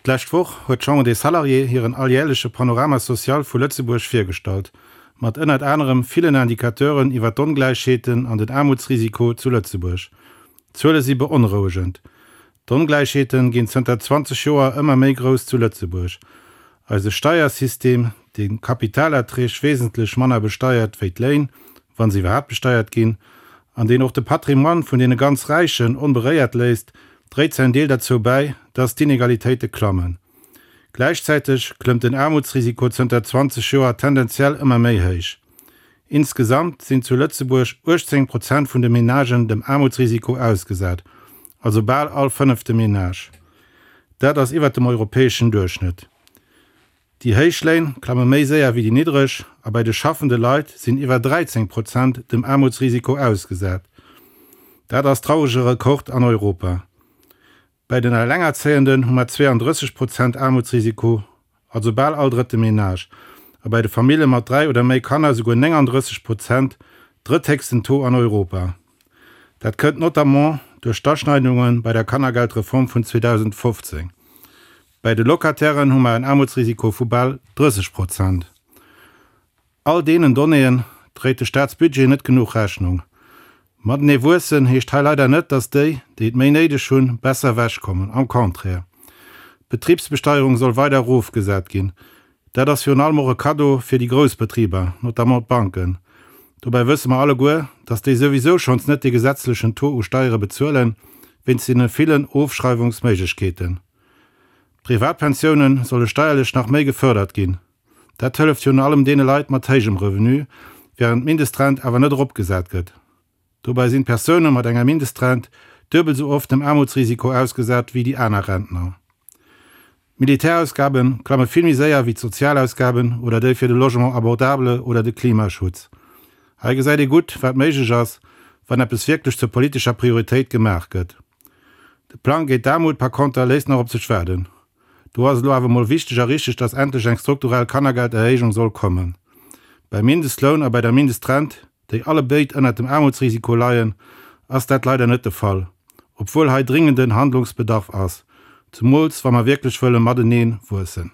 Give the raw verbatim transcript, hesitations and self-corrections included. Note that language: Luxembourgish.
D'lescht Woch huet d'Chambre des Salariés hiren alljärleche Panorama social vu Lëtzebuerg virgestallt, mat ënnert anerem villen Indicateuren iwwer d'Ongläichheeten an den Aarmutsrisiko zu Lëtzebuerg. D'Zuele si beonrouegend. D'Ongläichheete ginn zënter zwanzeg Joer ëmmer méi grouss zu Lëtzebuerg. Eise Steiersystem, dee Kapitalerträg wesentlech manner besteiert wéi d'Léin, wa se iwwerhaapt besteiert ginn, an deen och de Patrimoine vun deene ganz Räichen onberéiert léisst, dréit säin Deel derzou bäi, dass d'Inegalitéite klammen. Gläichzäiteg klëmmt den Aarmutsrisiko zënter zwanzeg Joer tendenziell ëmmer méi héich. Insgesamt sinn zu Lëtzebuerg uechtzéng Prozent vun de Menagen dem Aarmutsrisiko ausgesat, also bal all fënnefte Menage. Dat ass iwwert dem europäeschen Duerchschnëtt. Déi héich Léin klamme méi séier wéi déi niddreg a bei de schaffende Leit sinn iwwer dräizéng Prozent dem Aarmutsrisiko ausgesat. Dat ass traurege Rekord an Europa. Bei den Allengerzéienden hu mer zweeandrësseg Prozent Aarmutsrisiko, also bal all drëtte Menage, a bei de Famillje mat dräi oder méi Kanner souguer néngandrësseg Prozent, drëtthéchsten Taux an Europa. Dat kënnt notamment duerch d'Aschneidunge bei der Kannergeldreform vun zweedausendfofzéng. Bei de Locatairen hu mer en Aarmutsrisiko vu bal drësseg Prozent. All deenen Donnéeën dréit de Staatsbudget net genuch Rechnung. Matenee wuessen heescht hei leider net, dass déi, déi et méi néideg hunn, besser ewechkommen. Am Contraire. D'Betribsbesteierung soll weider erofgesat ginn. Dat ass virun allem och e Kaddo fir déi grouss Betriber, notamment d'Banken. Dobäi wësse mer alleguer, dass déi souwisou schonns net dee gesetzlechen Taux u Steiere bezuelen, wéinst deene villen Ofschreiwungsméiglechkeeten. D'Privatpensiounen solle steierlech nach méi gefërdert ginn. Dat hëlleft virun allem deene Leit mat héijem Revenu, wärend d'Mindestrent awer net eropgesat gëtt. Dobäi sinn d'Persoune mat enger Mindestrent duebel esou oft dem Aarmutsrisiko ausgesat wéi déi aner Rentner. D'Militärausgabe klamme vill méi séier wéi d'Sozialausgaben oder déi fir de Logement abordable oder de Klimaschutz. Hei gesäit ee gutt, wat méiglech ass, wann eppes wierklech zur politescher Prioritéit gemaach gëtt. De Plang géint d'Aarmut par konter léisst nach op sech waarden. Do ass elo awer mol wichteg a richteg, dass endlech eng strukturell Kannergelderhéijung soll kommen. Beim Mindestloun a bei der Mindestrent, déi allebéid ënnert dem Aarmutsrisiko leien, ass dat leider net de Fall, obwuel hei dringenden Handlungsbedarf ass, zemools wa mer wierklech wëlle matenee wuessen.